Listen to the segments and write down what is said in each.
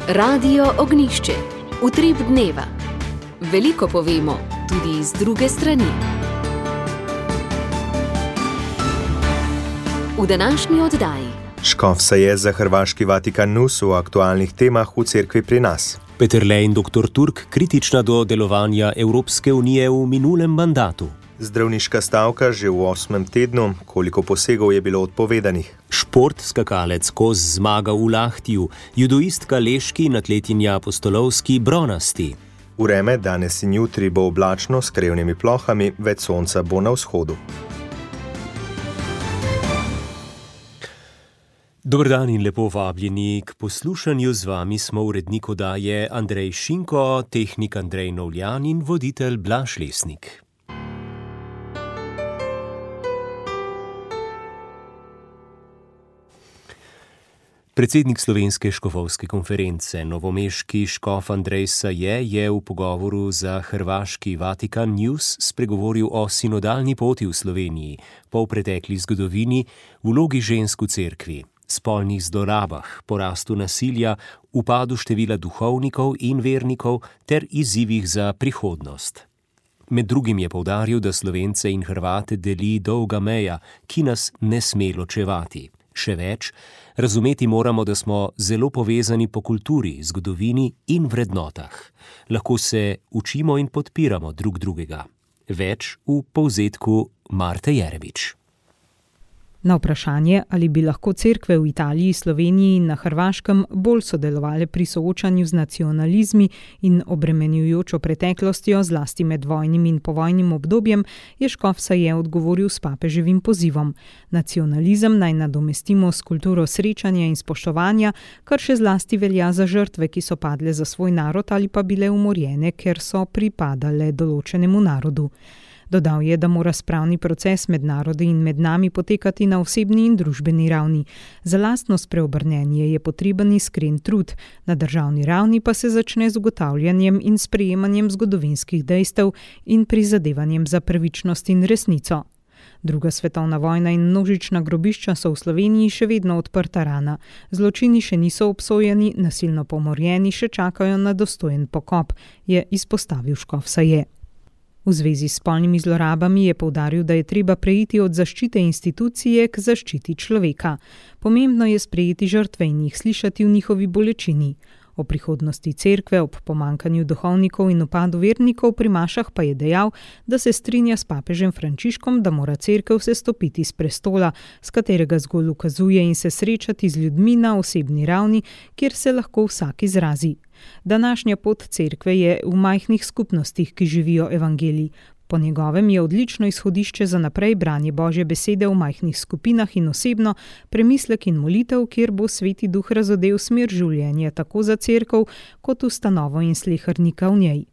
Radio Ognišče, utrip dneva. Veliko povemo, tudi iz druge strani. V današnji oddaji. Škof se je za hrvaški Vatikan News v aktualnih temah v cerkvi pri nas. Peterle in dr. Turk kritična do delovanja Evropske unije v minulem mandatu. Zdravniška stavka že v 8. tednu, koliko posegov je bilo odpovedanih. Šport, skakalec Koz zmaga v Lahtiju, judoistka Leški in atletinja Apostolovski bronasti. Vreme danes in jutri bo oblačno s krevnimi plohami, več sonca bo na vzhodu. Dober dan in lepo vabljeni k poslušanju. Z vami smo urednik oddaje Andrej Šinko, tehnik Andrej Novljan in voditelj Blaž Lesnik. Predsednik Slovenske škofovske konference, novomeški škof Andrej Saje, je v pogovoru za hrvaški Vatikan News spregovoril o sinodalni poti v Sloveniji, polpretekli zgodovini, vlogi žensk v cerkvi, spolnih zlorabah, porastu nasilja, upadu števila duhovnikov in vernikov ter izzivih za prihodnost. Med drugim je poudaril, da Slovence in Hrvate deli dolga meja, ki nas ne sme ločevati. Še več, razumeti moramo, da smo zelo povezani po kulturi, zgodovini in vrednotah. Lahko se učimo in podpiramo drug drugega. Več v povzetku Marte Jerevič. Na vprašanje, ali bi lahko cerkve v Italiji, Sloveniji in na Hrvaškem bolj sodelovale pri soočanju z nacionalizmi in obremenjujočo preteklostjo, zlasti med vojnim in povojnim obdobjem, je škof Saje odgovoril s papeževim pozivom. Nacionalizem naj nadomestimo s kulturo srečanja in spoštovanja, kar še zlasti velja za žrtve, ki so padle za svoj narod ali pa bile umorjene, ker so pripadale določenemu narodu. Dodal je, da mora spravni proces med narodi in med nami potekati na osebni in družbeni ravni. Za lastno spreobrnenje je potreben iskren trud, na državni ravni pa se začne z ugotavljanjem in sprejemanjem zgodovinskih dejstev in prizadevanjem za pravičnost in resnico. Druga svetovna vojna in množična grobišča so v Sloveniji še vedno odprta rana. Zločini še niso obsojeni, nasilno pomorjeni še čakajo na dostojen pokop, je izpostavil škof Saje. V zvezi s spolnimi zlorabami je poudaril, da je treba preiti od zaščite institucije k zaščiti človeka. Pomembno je sprejeti žrtve in jih slišati v njihovi bolečini. O prihodnosti cerkve ob pomanjkanju duhovnikov in upadu vernikov pri mašah pa je dejal, da se strinja s papežem Frančiškom, da mora cerkev sestopiti s prestola, s katerega zgolj ukazuje in se srečati z ljudmi na osebni ravni, kjer se lahko vsak izrazi. Današnja pot cerkve je v majhnih skupnostih, ki živijo evangelij. Po njegovem je odlično izhodišče za naprej branje Božje besede v majhnih skupinah in osebno, premislek in molitev, kjer bo Sveti Duh razodel smer življenja tako za cerkev kot ustanovo in slehernika v njej.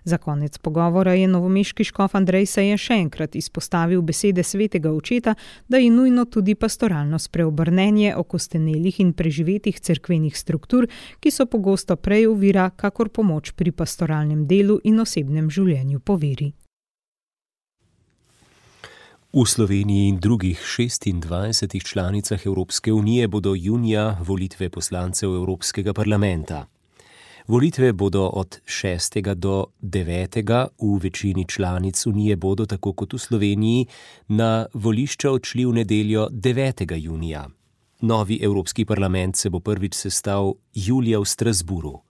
Za konec pogovora je novomeški škof Andrej Saje še enkrat izpostavil besede svetega očeta, da je nujno tudi pastoralno spreobrnenje okostenelih in preživetih cerkvenih struktur, ki so pogosto prej ovira, kakor pomoč pri pastoralnem delu in osebnem življenju po veri. V Sloveniji in drugih 26 članicah Evropske unije bodo junija volitve poslancev Evropskega parlamenta. Volitve bodo od 6. do 9. v večini članic unije bodo, tako kot v Sloveniji, na volišča odšli v nedeljo 9. junija. Novi Evropski parlament se bo prvič sestal julija v Strasburu.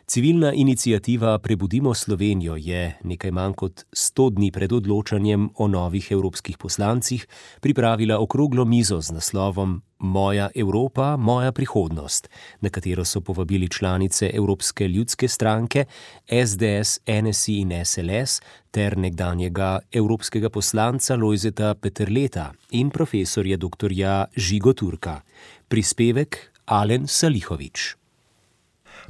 Civilna iniciativa Prebudimo Slovenijo je nekaj manj kot 100 dni pred odločanjem o novih evropskih poslancih pripravila okroglo mizo z naslovom Moja Evropa, moja prihodnost, na katero so povabili članice Evropske ljudske stranke, SDS, NSI in SLS ter nekdanjega evropskega poslanca Lojzeta Peterleta in profesorja dr. Žigo Turka. Prispevek Alen Salihovič.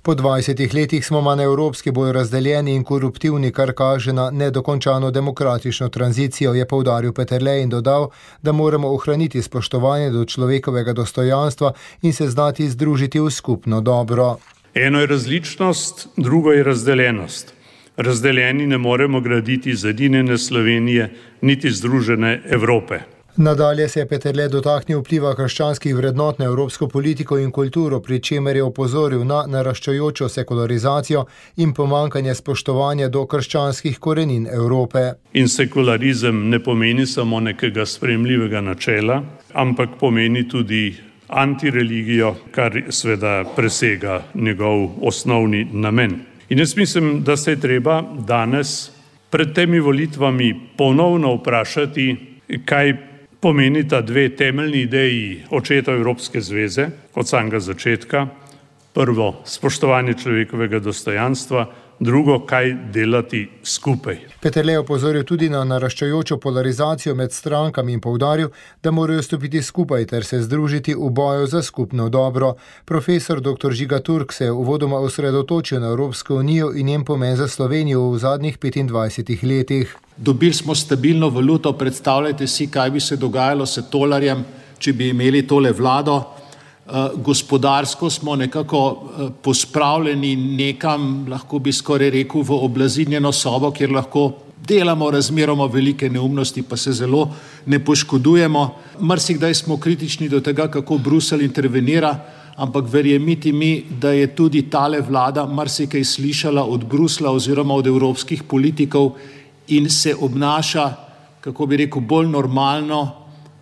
Po 20 letih smo manj evropski, bolj razdeljeni in koruptivni, kar kaže na nedokončano demokratično tranzicijo, je poudaril Peterle in dodal, da moramo ohraniti spoštovanje do človekovega dostojanstva in se znati združiti v skupno dobro. Eno je različnost, drugo je razdeljenost. Razdeljeni ne moremo graditi zedinjene Slovenije, niti združene Evrope. Nadalje se je Peterle dotaknil vpliva krščanskih vrednot na evropsko politiko in kulturo, pri čemer je opozoril na naraščajočo sekularizacijo in pomankanje spoštovanja do krščanskih korenin Evrope. In sekularizem ne pomeni samo nekega sprejemljivega načela, ampak pomeni tudi antireligijo, kar seveda presega njegov osnovni namen. In jaz mislim, da se je treba danes pred temi volitvami ponovno vprašati, kaj pomenita dve temeljni ideji očeta Evropske zveze od samega začetka. Prvo, spoštovanje človekovega dostojanstva, drugo, kaj delati skupaj. Peterle je opozoril tudi na naraščajočo polarizacijo med strankami in poudaril, da morajo stopiti skupaj ter se združiti v boju za skupno dobro. Profesor dr. Žiga Turk se je uvodoma osredotočil na Evropsko unijo in njen pomen za Slovenijo v zadnjih 25 letih. Dobili smo stabilno valuto, predstavljajte si, kaj bi se dogajalo s tolarjem, če bi imeli tole vlado. Gospodarsko smo nekako pospravljeni nekam, lahko bi skoraj rekel, v oblazinjeno sobo, kjer lahko delamo razmeroma velike neumnosti, pa se zelo ne poškodujemo. Marsikdaj smo kritični do tega, kako Bruselj intervenira, ampak verjemite mi, da je tudi tale vlada marsikaj slišala od Bruslja oziroma od evropskih politikov in se obnaša, kako bi rekel, bolj normalno,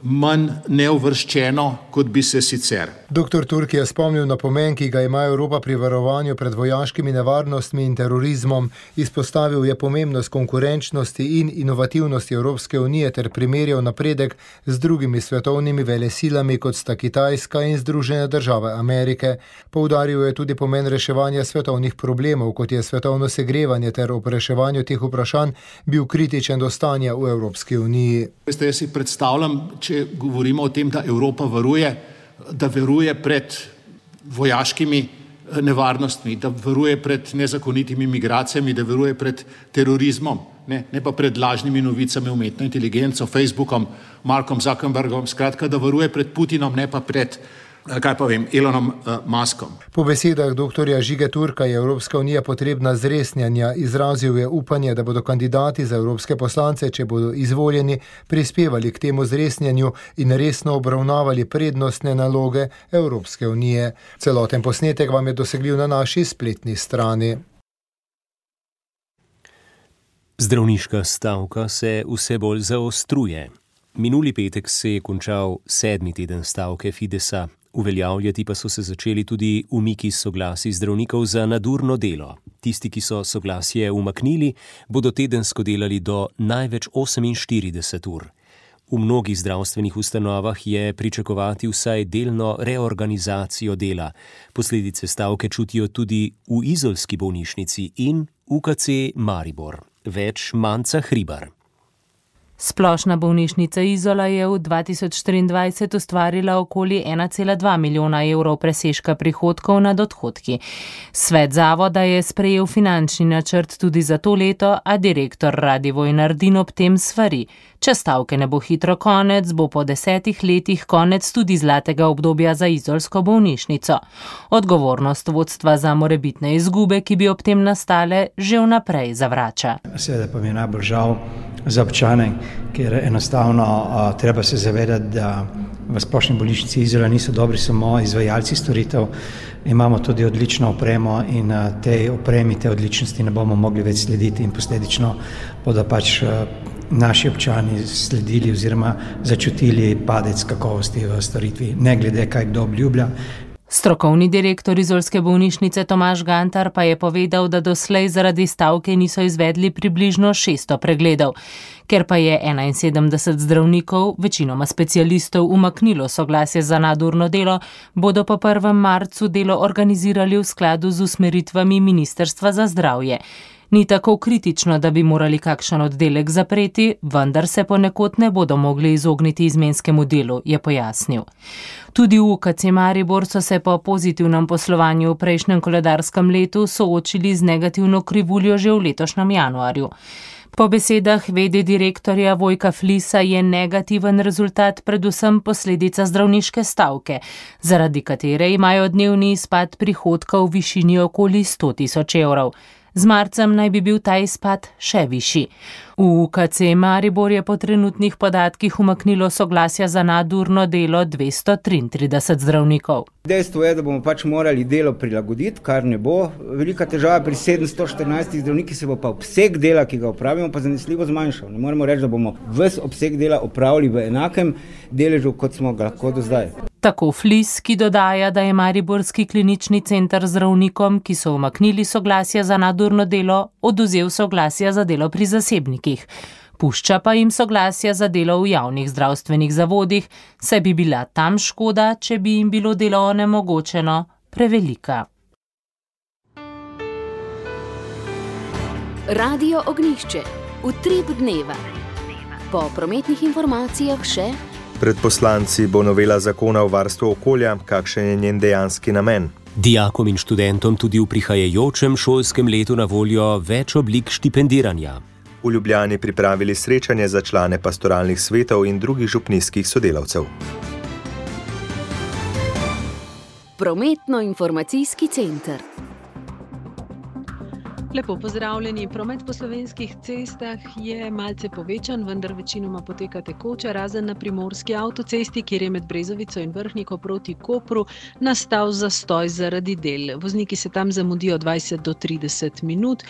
manj neuvrščeno, kot bi se sicer. Dr. Turk je spomnil na pomen, ki ga ima Evropa pri varovanju pred vojaškimi nevarnostmi in terorizmom. Izpostavil je pomembnost konkurenčnosti in inovativnosti Evropske unije ter primerjal napredek z drugimi svetovnimi velesilami, kot sta Kitajska in Združene države Amerike. Poudaril je tudi pomen reševanja svetovnih problemov, kot je svetovno segrevanje ter ob reševanju teh vprašanj bil kritičen do stanja v Evropski uniji. Veste, jaz si predstavljam, če govorimo o tem, da Evropa varuje pred vojaškimi nevarnostmi, da varuje pred nezakonitimi migracijami, da varuje pred terorizmom, ne pa pred lažnimi novicami, umetno inteligenco, Facebookom, Markom Zuckerbergom, skratka, da varuje pred Putinom, ne pa pred Elonom Muskom. Po besedah dr. Žige Turka je Evropska unija potrebna zresnjanja. Izrazil je upanje, da bodo kandidati za evropske poslance, če bodo izvoljeni, prispevali k temu zresnjanju in resno obravnavali prednostne naloge Evropske unije. Celoten posnetek vam je dosegljiv na naši spletni strani. Zdravniška stavka se vse bolj zaostruje. Minuli petek se je končal 7. teden stavke Fidesa. Uveljavljati pa so se začeli tudi umiki soglasij zdravnikov za nadurno delo. Tisti, ki so soglasje umaknili, bodo tedensko delali do največ 48 ur. V mnogih zdravstvenih ustanovah je pričakovati vsaj delno reorganizacijo dela. Posledice stavke čutijo tudi v izolski bolnišnici in UKC Maribor. Več Manca Hribar. Splošna bolnišnica Izola je v 2024 ustvarila okoli 1,2 milijona evrov presežka prihodkov nad odhodki. Svet zavoda je sprejel finančni načrt tudi za to leto, a direktor Radivoj Nardin ob tem svari. Če stavke ne bo hitro konec, bo po 10 letih konec tudi zlatega obdobja za izolsko bolnišnico. Odgovornost vodstva za morebitne izgube, ki bi ob tem nastale, že vnaprej zavrača. Seveda pa mi je najbolj žal za občane, ker enostavno treba se zavedati, da v splošni bolnišnici Izola niso dobri samo izvajalci storitev, imamo tudi odlično opremo in tej opremi, te odličnosti ne bomo mogli več slediti in posledično bodo pač naši občani sledili oziroma začutili padec kakovosti v storitvi, ne glede kaj kdo obljublja. Strokovni direktor izolske bolnišnice Tomaž Gantar pa je povedal, da doslej zaradi stavke niso izvedli približno 600 pregledov. Ker pa je 71 zdravnikov, večinoma specialistov, umaknilo soglasje za nadurno delo, bodo po 1. marcu delo organizirali v skladu z usmeritvami Ministrstva za zdravje. Ni tako kritično, da bi morali kakšen oddelek zapreti, vendar se ponekod ne bodo mogli izogniti izmenskemu delu, je pojasnil. Tudi v UKC Maribor so se po pozitivnem poslovanju v prejšnjem koledarskem letu soočili z negativno krivuljo že v letošnjem januarju. Po besedah v.d. direktorja Vojka Flisa je negativen rezultat predvsem posledica zdravniške stavke, zaradi katere imajo dnevni izpad prihodka v višini okoli 100 000 evrov. Z marcem naj bi bil ta izpad še višji. V UKC Maribor je po trenutnih podatkih umaknilo soglasja za nadurno delo 233 zdravnikov. Dejstvo je, da bomo morali delo prilagoditi, kar ne bo velika težava. Pri 714 zdravnikih se bo pa obseg dela, ki ga opravimo, pa zanesljivo zmanjšal. Ne moremo reči, da bomo ves obseg dela opravili v enakem deležu, kot smo ga lahko do zdaj. Tako Flis, ki dodaja, da je mariborski klinični center zdravnikom, ki so umaknili soglasja za nadurno delo, oduzel soglasja za delo pri zasebnikih. Pušča pa jim soglasja za delo v javnih zdravstvenih zavodih, saj bi bila tam škoda, če bi jim bilo delo onemogočeno, prevelika. Radio Ognjišče. Utrip dneva. Po prometnih informacijah še: pred poslanci bo novela zakona o varstvu okolja, kakšen je njen dejanski namen. Dijakom in študentom tudi v prihajajočem šolskem letu na voljo več oblik štipendiranja. V Ljubljani pripravili srečanje za člane pastoralnih svetov in drugih župnijskih sodelavcev. Prometno-informacijski center. Lepo pozdravljeni. Promet po slovenskih cestah je malce povečan, vendar večinoma poteka tekoče, razen na primorski avtocesti, kjer je med Brezovico in Vrhniko proti Kopru nastal zastoj zaradi del. Vozniki se tam zamudijo 20 do 30 minut.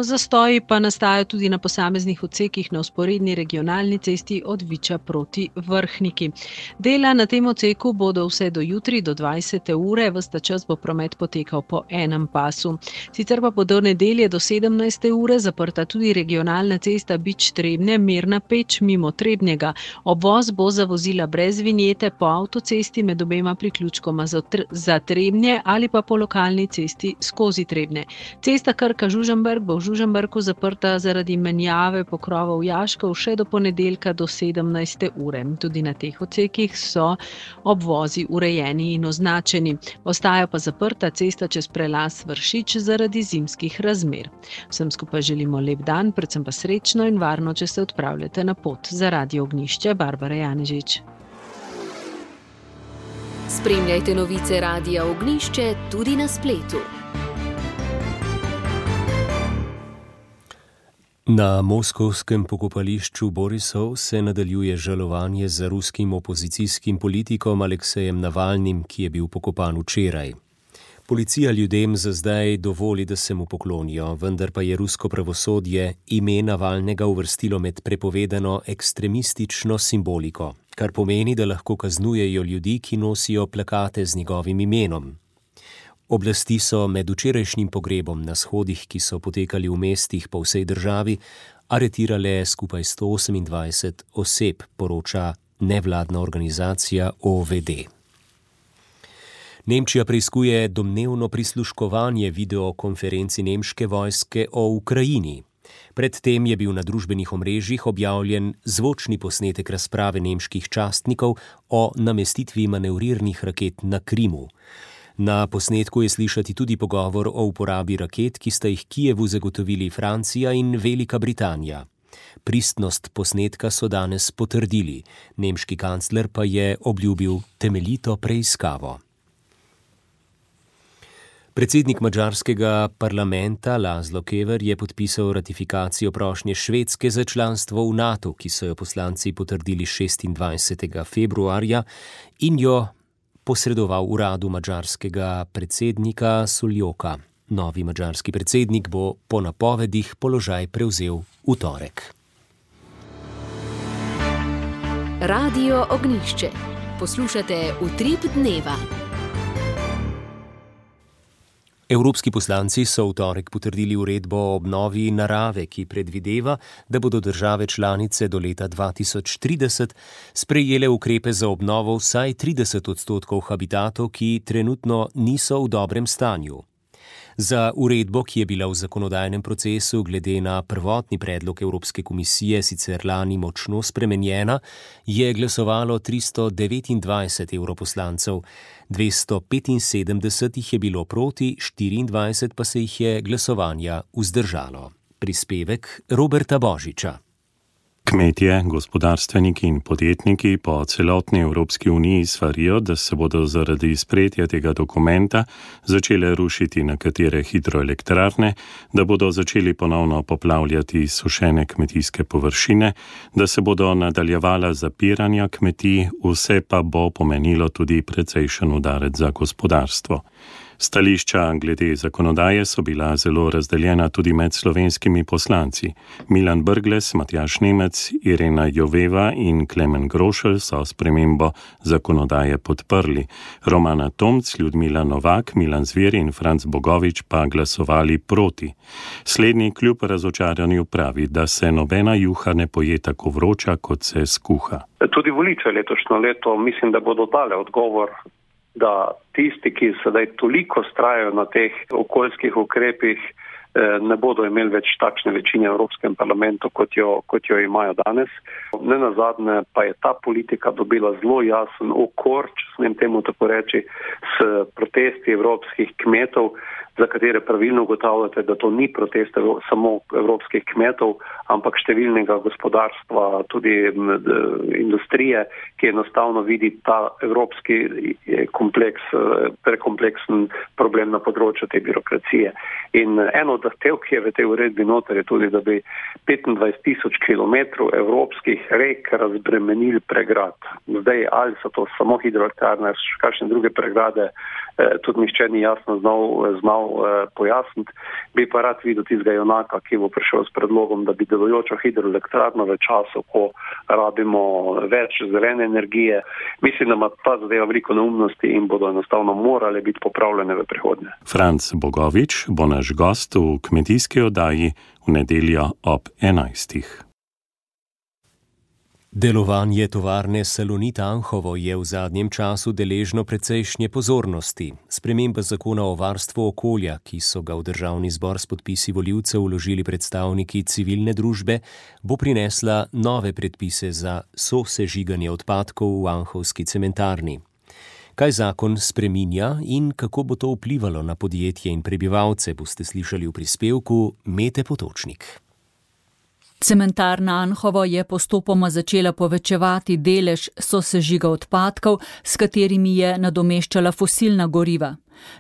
Zastoji pa nastajajo tudi na posameznih odsekih na vzporedni regionalni cesti od Viča proti Vrhniki. Dela na tem odseku bodo vse do jutri do 20. ure, ves ta čas bo promet potekal po enem pasu. Sicer pa bo do nedelje do 17. ure zaprta tudi regionalna cesta Bič-Trebnje, Mirna Peč mimo Trebnjega. Obvoz bo za vozila brez vinjete po avtocesti med obema priključkoma za Trebnje ali pa po lokalni cesti skozi Trebnje. Cesta Krka-Žužemberk bo v Žužemberku zaprta zaradi menjave pokrovov jaškov še do ponedeljka do 17. ure. Tudi na teh odsekih so obvozi urejeni in označeni. Ostaja pa zaprta cesta čez prelaz Vršič zaradi zimskih razmer. Vsem skupaj želimo lep dan, predvsem pa srečno in varno, če se odpravljate na pot. Za Radio Ognjišče, Barbara Janežič. Spremljajte novice Radia Ognjišče tudi na spletu. Na moskovskem pokopališču Borisov se nadaljuje žalovanje za ruskim opozicijskim politikom Aleksejem Navalnim, ki je bil pokopan včeraj. Policija ljudem za zdaj dovoli, da se mu poklonijo, vendar pa je rusko pravosodje ime Navalnega uvrstilo med prepovedano ekstremistično simboliko, kar pomeni, da lahko kaznujejo ljudi, ki nosijo plakate z njegovim imenom. Oblasti so med včerajšnjim pogrebom na shodih, ki so potekali v mestih po vsej državi, aretirale skupaj 128 oseb, poroča nevladna organizacija OVD. Nemčija preiskuje domnevno prisluškovanje videokonferenci nemške vojske o Ukrajini. Predtem je bil na družbenih omrežjih objavljen zvočni posnetek razprave nemških častnikov o namestitvi manevrirnih raket na Krimu. Na posnetku je slišati tudi pogovor o uporabi raket, ki sta jih Kijevu zagotovili Francija in Velika Britanija. Pristnost posnetka so danes potrdili, nemški kancler pa je obljubil temeljito preiskavo. Predsednik madžarskega parlamenta Laszlo Kever je podpisal ratifikacijo prošnje Švedske za članstvo v NATO, ki so jo poslanci potrdili 26. februarja in jo posredoval uradu madžarskega predsednika Suljoka. Novi madžarski predsednik bo po napovedih položaj prevzel v torek. Radio Ognjišče. Poslušate Utrip dneva. Evropski poslanci so v torek potrdili uredbo o obnovi narave, ki predvideva, da bodo države članice do leta 2030 sprejele ukrepe za obnovo vsaj 30% habitatov, ki trenutno niso v dobrem stanju. Za uredbo, ki je bila v zakonodajnem procesu glede na prvotni predlog Evropske komisije sicer lani močno spremenjena, je glasovalo 329 evroposlancev, 275 jih je bilo proti, 24 pa se jih je glasovanja vzdržalo. Prispevek Roberta Božiča. Kmetje, gospodarstveniki in podjetniki po celotni Evropski uniji svarijo, da se bodo zaradi sprejetja tega dokumenta začele rušiti nekatere hidroelektrarne, da bodo začeli ponovno poplavljati sušene kmetijske površine, da se bodo nadaljevala zapiranja kmetij, vse pa bo pomenilo tudi precejšen udarec za gospodarstvo. Stališča glede zakonodaje so bila zelo razdeljena tudi med slovenskimi poslanci. Milan Brglez, Matjaž Nemec, Irena Joveva in Klemen Grošelj so spremembo zakonodaje podprli. Romana Tomc, Ljudmila Novak, Milan Zver in Franc Bogovič pa glasovali proti. Slednji kljub razočaranju pravi, da se nobena juha ne poje tako vroča, kot se skuha. Tudi volitve letošnjo leto mislim, da bodo dale odgovor, da tisti, ki sedaj toliko vztrajajo na teh okoljskih ukrepih, ne bodo imeli več takšne večine v Evropskem parlamentu, kot jo imajo danes. Nenazadnje pa je ta politika dobila zelo jasen okor, če smem temu tako reči, s protesti evropskih kmetov, za katere pravilno ugotavljate, da to ni protest samo evropskih kmetov, ampak številnega gospodarstva, tudi industrije, ki enostavno vidi ta evropski prekompleksen problem na področju te birokracije. In eno od zahtev, ki je v tej uredbi noter, je tudi, da bi 25,000 kilometrov evropskih rek razbremenili pregrad. Zdaj, ali so to samo hidroelektrarne, kakšne druge pregrade, tudi nihče ni jasno znal pojasniti. Bi pa rad videl tistega junaka, ki bo prišel s predlogom, da bi delujočo hidroelektrarno v času, ko rabimo več zelene energije. Mislim, da ima ta zadeva veliko neumnosti in bodo enostavno morale biti popravljene v prihodnje. Franc Bogovič bo naš gost v kmetijski oddaji v nedeljo ob 11. Delovanje tovarne Salonit Anhovo je v zadnjem času deležno precejšnje pozornosti. Sprememba zakona o varstvu okolja, ki so ga v Državni zbor s podpisi volivcev vložili predstavniki civilne družbe, bo prinesla nove predpise za sosežiganje odpadkov v anhovski cementarni. Kaj zakon spreminja in kako bo to vplivalo na podjetje in prebivalce, boste slišali v prispevku Mete Potočnik. Cementarna Anhovo je postopoma začela povečevati delež sosežiga odpadkov, s katerimi je nadomeščala fosilna goriva.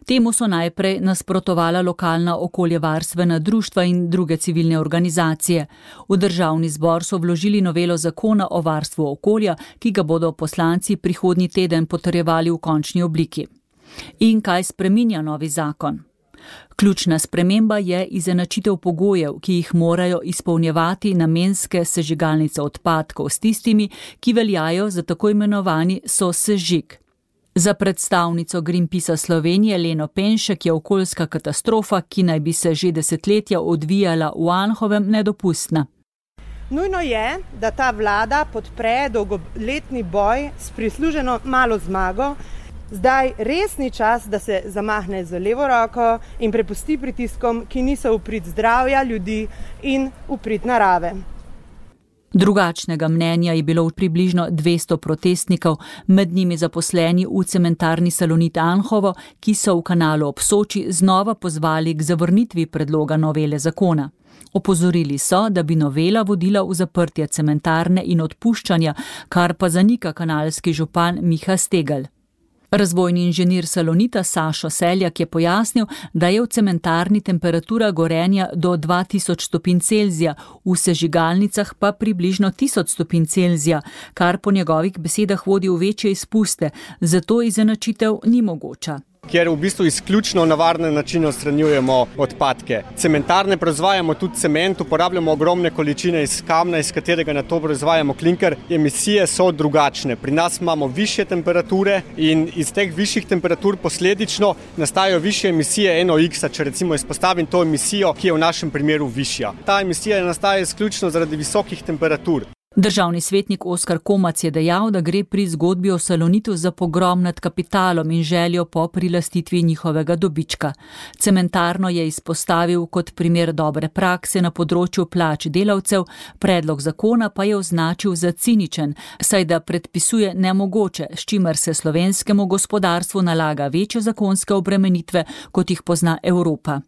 Temu so najprej nasprotovala lokalna okoljevarstvena društva in druge civilne organizacije. V Državni zbor so vložili novelo zakona o varstvu okolja, ki ga bodo poslanci prihodnji teden potrjevali v končni obliki. In kaj spreminja novi zakon? Ključna sprememba je izenačitev pogojev, ki jih morajo izpolnjevati namenske sežigalnice odpadkov s tistimi, ki veljajo za tako imenovani sosežig. Za predstavnico Greenpeacea Slovenije Leno Penšek je okoljska katastrofa, ki naj bi se že desetletja odvijala v Anhovem, nedopustna. Nujno je, da ta vlada podpre dolgoletni boj s prisluženo malo zmago. Zdaj res ni čas, da se zamahne z levo roko in prepusti pritiskom, ki niso v prid zdravja ljudi in v prid narave. Drugačnega mnenja je bilo približno 200 protestnikov, med njimi zaposleni v cementarni Salonit Anhovo, ki so v kanalu ob Soči znova pozvali k zavrnitvi predloga novele zakona. Opozorili so, da bi novela vodila v zaprtje cementarne in odpuščanja, kar pa zanika kanalski župan Miha Stegelj. Razvojni inženir Salonita Sašo Seljak je pojasnil, da je v cementarni temperatura gorenja do 2000 stopinj Celzija, v sežigalnicah pa približno 1000 stopinj Celzija, kar po njegovih besedah vodi v večje izpuste, zato izenačitev ni mogoča. Kjer v bistvu izključno na varne načine odstranjujemo odpadke. Cementarne proizvajamo tudi cement, uporabljamo ogromne količine iz kamna, iz katerega na to proizvajamo klinker. Emisije so drugačne. Pri nas imamo višje temperature in iz teh višjih temperatur posledično nastajajo višje emisije NOx-a, če recimo izpostavim to emisijo, ki je v našem primeru višja. Ta emisija nastaja izključno zaradi visokih temperatur. Državni svetnik Oskar Komac je dejal, da gre pri zgodbi o Salonitu za pogrom nad kapitalom in željo po prilastitvi njihovega dobička. Cementarno je izpostavil kot primer dobre prakse na področju plač delavcev, predlog zakona pa je označil za ciničen, saj da predpisuje nemogoče, s čimer se slovenskemu gospodarstvu nalaga večje zakonske obremenitve, kot jih pozna Evropa.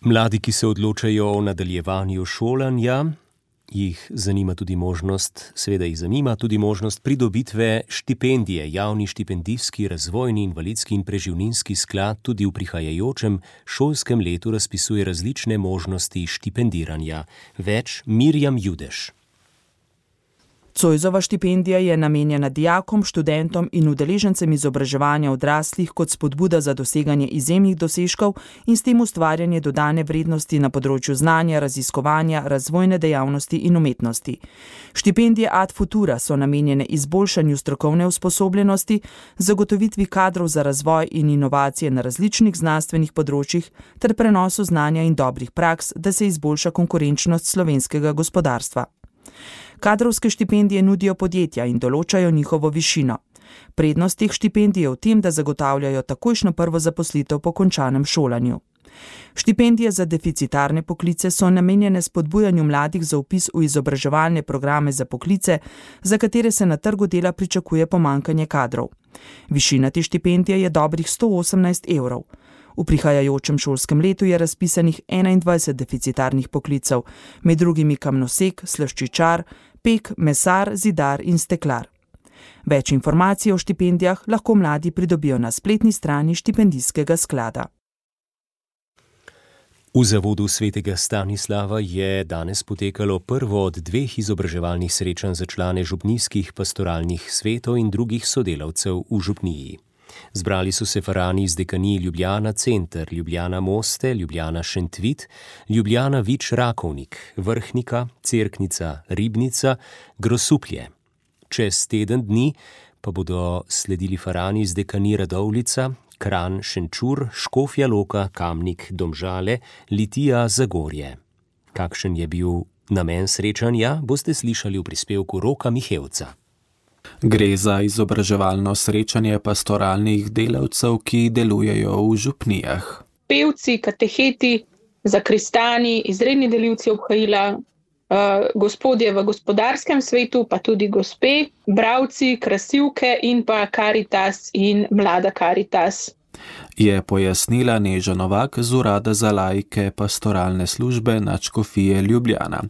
Mladi, ki se odločajo o nadaljevanju šolanja, jih zanima tudi možnost pridobitve štipendije. Javni štipendijski, razvojni, invalidski in preživninski sklad tudi v prihajajočem šolskem letu razpisuje različne možnosti štipendiranja. Več Mirjam Judeš. Zoisova štipendija je namenjena dijakom, študentom in udeležencem izobraževanja odraslih kot spodbuda za doseganje izjemnih dosežkov in s tem ustvarjanje dodane vrednosti na področju znanja, raziskovanja, razvojne dejavnosti in umetnosti. Štipendije Ad Futura so namenjene izboljšanju strokovne usposobljenosti, zagotovitvi kadrov za razvoj in inovacije na različnih znanstvenih področjih ter prenosu znanja in dobrih praks, da se izboljša konkurenčnost slovenskega gospodarstva. Kadrovske štipendije nudijo podjetja in določajo njihovo višino. Prednost teh štipendij je v tem, da zagotavljajo takojšnjo prvo zaposlitev po končanem šolanju. Štipendije za deficitarne poklice so namenjene spodbujanju mladih za vpis v izobraževalne programe za poklice, za katere se na trgu dela pričakuje pomanjkanje kadrov. Višina te štipendije je dobrih 118 evrov. V prihajajočem šolskem letu je razpisanih 21 deficitarnih poklicev, med drugimi kamnosek, slaščičar, pek, mesar, zidar in steklar. Več informacij o štipendijah lahko mladi pridobijo na spletni strani štipendijskega sklada. V zavodu svetega Stanislava je danes potekalo prvo od 2 izobraževalnih srečanj za člane župnijskih pastoralnih svetov in drugih sodelavcev v župniji. Zbrali so se farani iz dekanij Ljubljana Center, Ljubljana Moste, Ljubljana Šentvit, Ljubljana Vič Rakovnik, Vrhnika, Cerknica, Ribnica, Grosuplje. Čez teden dni pa bodo sledili farani iz dekanij Radovljica, Kranj, Šenčur, Škofja Loka, Kamnik, Domžale, Litija, Zagorje. Kakšen je bil namen srečanja, boste slišali v prispevku Roka Mihevca. Gre za izobraževalno srečanje pastoralnih delavcev, ki delujejo v župnijah. Pevci, kateheti, zakristani, izredni delivci obhajila, gospodje v gospodarskem svetu, pa tudi gospe, bravci, krasivke in pa Karitas in mlada Karitas. Je pojasnila Neža Novak z Urada za laike pastoralne službe Nadškofije Ljubljana.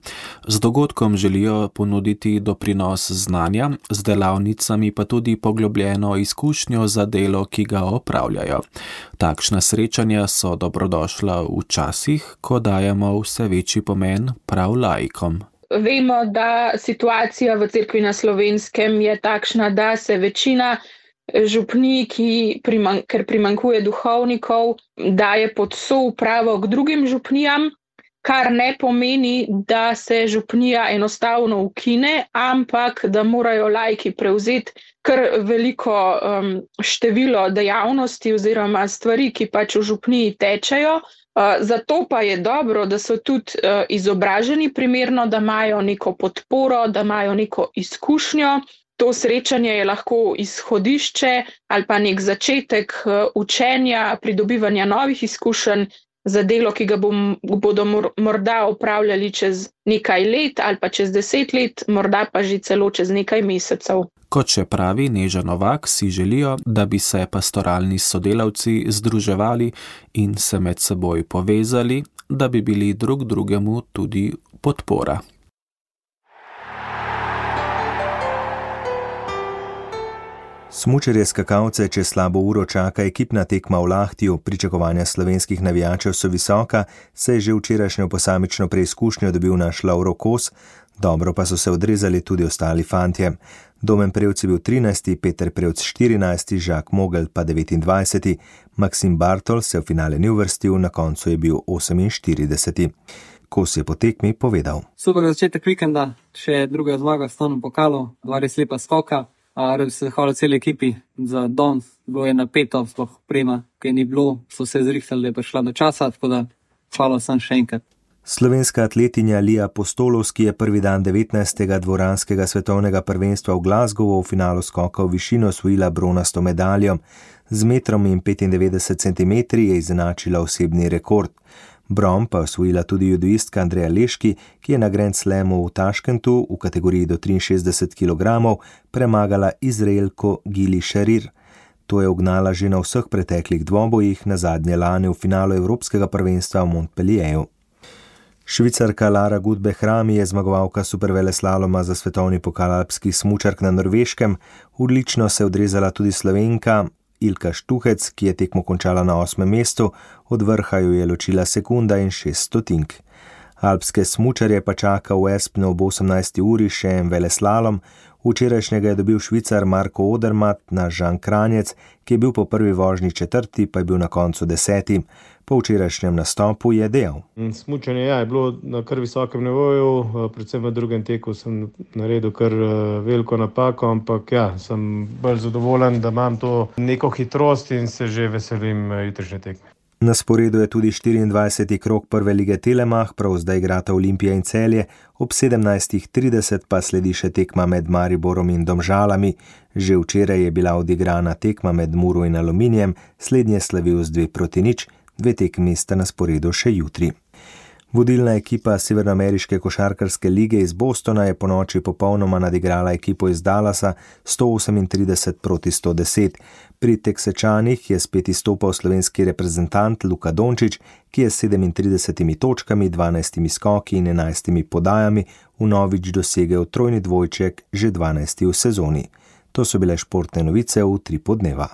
Z dogodkom želijo ponuditi doprinos znanja, z delavnicami pa tudi poglobljeno izkušnjo za delo, ki ga opravljajo. Takšna srečanja so dobrodošla v časih, ko dajemo vse večji pomen prav laikom. Vemo, da situacija v cerkvi na Slovenskem je takšna, da se večina župnij, ker primanjkuje duhovnikov, daje pod soupravo k drugim župnijam, kar ne pomeni, da se župnija enostavno ukine, ampak da morajo laiki prevzeti kar veliko število dejavnosti oziroma stvari, ki pač v župniji tečejo. Zato pa je dobro, da so tudi izobraženi primerno, da imajo neko podporo, da imajo neko izkušnjo. To srečanje je lahko izhodišče ali pa nek začetek učenja, pridobivanja novih izkušenj za delo, ki ga bodo morda opravljali čez nekaj let ali pa čez 10 let, morda pa že celo čez nekaj mesecev. Kot še pravi Neža Novak, si želijo, da bi se pastoralni sodelavci združevali in se med seboj povezali, da bi bili drug drugemu tudi podpora. Smučarje skakalce čez slabo uro čaka ekipna tekma v Lahtiju. Pričakovanja slovenskih navijačev so visoka, se je že včerajšnjo posamično preizkušnjo dobil naš Lovro Kos, dobro pa so se odrezali tudi ostali fantje. Domen Prevc je bil 13., Peter Prevc 14., Žak Mogel pa 29., Maksim Bartol se v finale ni uvrstil, na koncu je bil 48. Kos je po tekmi povedal. Super začetek vikenda, še druga zmaga v Stonu pokalu, 2 res lepa skoka. Rad bi se zahvalil celi ekipi za danes, bilo je napeto, sploh prema, ki ni bilo, so se zrihtali, da je prišla do časa, tako da hvala sem še enkrat. Slovenska atletinja Lija Postolovski je prvi dan 19. dvoranskega svetovnega prvenstva v Glasgowu v finalu skoka v višino osvojila bronasto medaljo. Z 1,95 cm je izenačila osebni rekord. Bron pa osvojila tudi judoistka Andreja Leški, ki je na Grand Slamu v Taškentu v kategoriji do 63 kg premagala Izraelko Gili Šarir. To je ugnala že na vseh preteklih dvobojih, nazadnje lani v finalu Evropskega prvenstva v Montpellieru. Švicarka Lara Gut-Behrami je zmagovalka superveleslaloma za svetovni pokal alpskih smučark na Norveškem. Odlično se je odrezala tudi Slovenka Ilka Štuhec, ki je tekmo končala na 8. mestu, od vrha jo je ločila sekunda in 6 stotink. Alpske smučarje pa čaka v Espnu ob 18. uri še en veleslalom. Včerajšnjega je dobil Švicar Marko Odermatt na Žan Kranjec, ki je bil po prvi vožnji 4., pa je bil na koncu 10. Po včerajšnjem nastopu je dejal. Smučanje je bilo na kar visokem nivoju, predvsem v drugem teku sem naredil kar veliko napako, ampak sem bolj zadovoljen, da imam to neko hitrost in se že veselim jutrišnje tekme. Na sporedu je tudi 24. krog prve lige Telemach, prav zdaj igrata Olimpija in Celje, ob 17.30 pa sledi še tekma med Mariborom in Domžalami. Že včeraj je bila odigrana tekma med Muro in Aluminijem, slednje slavil z 2-0, 2 tekmi sta na sporedu še jutri. Vodilna ekipa Severnoameriške košarkarske lige iz Bostona je ponoči popolnoma nadigrala ekipo iz Dallasa 138-110. Pri Teksečanih je spet izstopal slovenski reprezentant Luka Dončić, ki je s 37 točkami, 12 skoki in 11 podajami vnovič dosegel trojni dvojček, že 12 v sezoni. To so bile športne novice v Utripu dneva.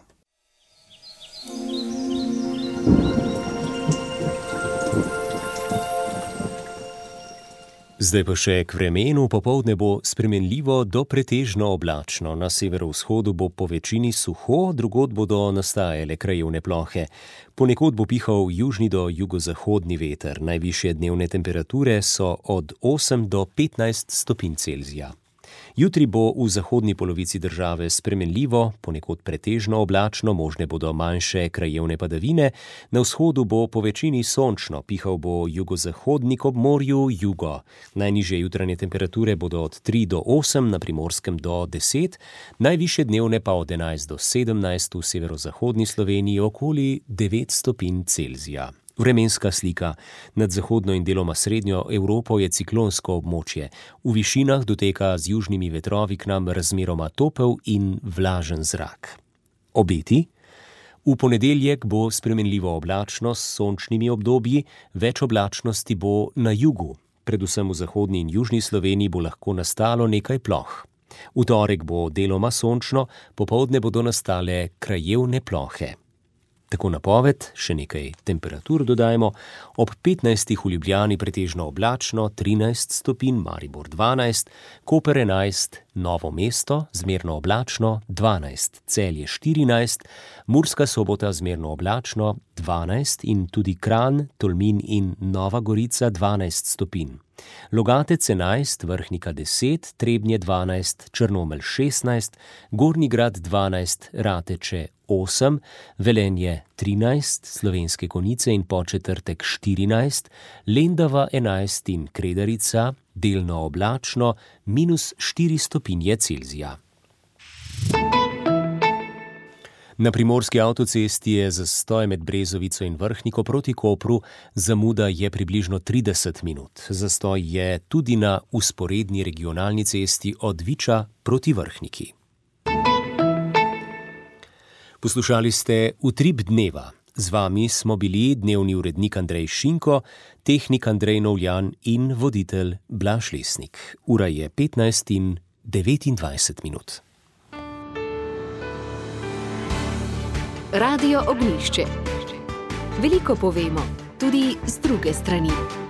Zdaj pa še k vremenu. Popoldne bo spremenljivo do pretežno oblačno. Na severovzhodu bo po večini suho, drugod bodo nastajale krajevne plohe. Ponekod bo pihal južni do jugozahodni veter. Najvišje dnevne temperature so od 8 do 15 stopinj Celzija. Jutri bo v zahodni polovici države spremenljivo, ponekod pretežno oblačno, možne bodo manjše krajevne padavine, na vzhodu bo po večini sončno, pihal bo jugozahodnik ob morju jugo. Najnižje jutranje temperature bodo od 3 do 8, na Primorskem do 10, najvišje dnevne pa od 11 do 17 v severozahodni Sloveniji okoli 9 stopinj Celzija. Vremenska slika. Nad zahodno in deloma srednjo Evropo je ciklonsko območje. V višinah doteka z južnimi vetrovi k nam razmeroma topel in vlažen zrak. Obeti? V ponedeljek bo spremenljivo oblačno s sončnimi obdobji, več oblačnosti bo na jugu. Predvsem v zahodni in južni Sloveniji bo lahko nastalo nekaj ploh. V torek bo deloma sončno, popoldne bodo nastale krajevne plohe. Tako napoved, še nekaj temperatur dodajmo, ob 15 v Ljubljani pretežno oblačno, 13 stopinj, Maribor 12, Koper 11, Novo mesto zmerno oblačno, 12, Celje 14, Murska Sobota zmerno oblačno, 12 in tudi Kranj, Tolmin in Nova Gorica 12 stopinj. Logatec 11, Vrhnika 10, Trebnje 12, Črnomelj 16, Gornji Grad 12, Rateče 8, Velenje 13, Slovenske Konjice in Podčetrtek 14, Lendava 11 in Kredarica delno oblačno, -4 stopinje Celzija. Na primorski avtocesti je zastoj med Brezovico in Vrhniko proti Kopru, zamuda je približno 30 minut. Zastoj je tudi na vzporedni regionalni cesti od Viča proti Vrhniki. Poslušali ste Utrip dneva. Z vami smo bili dnevni urednik Andrej Šinko, tehnik Andrej Novljan in voditelj Blaž Lesnik. Ura je 15:29 minut. Radio Ognjišče. Veliko povemo, tudi z druge strani.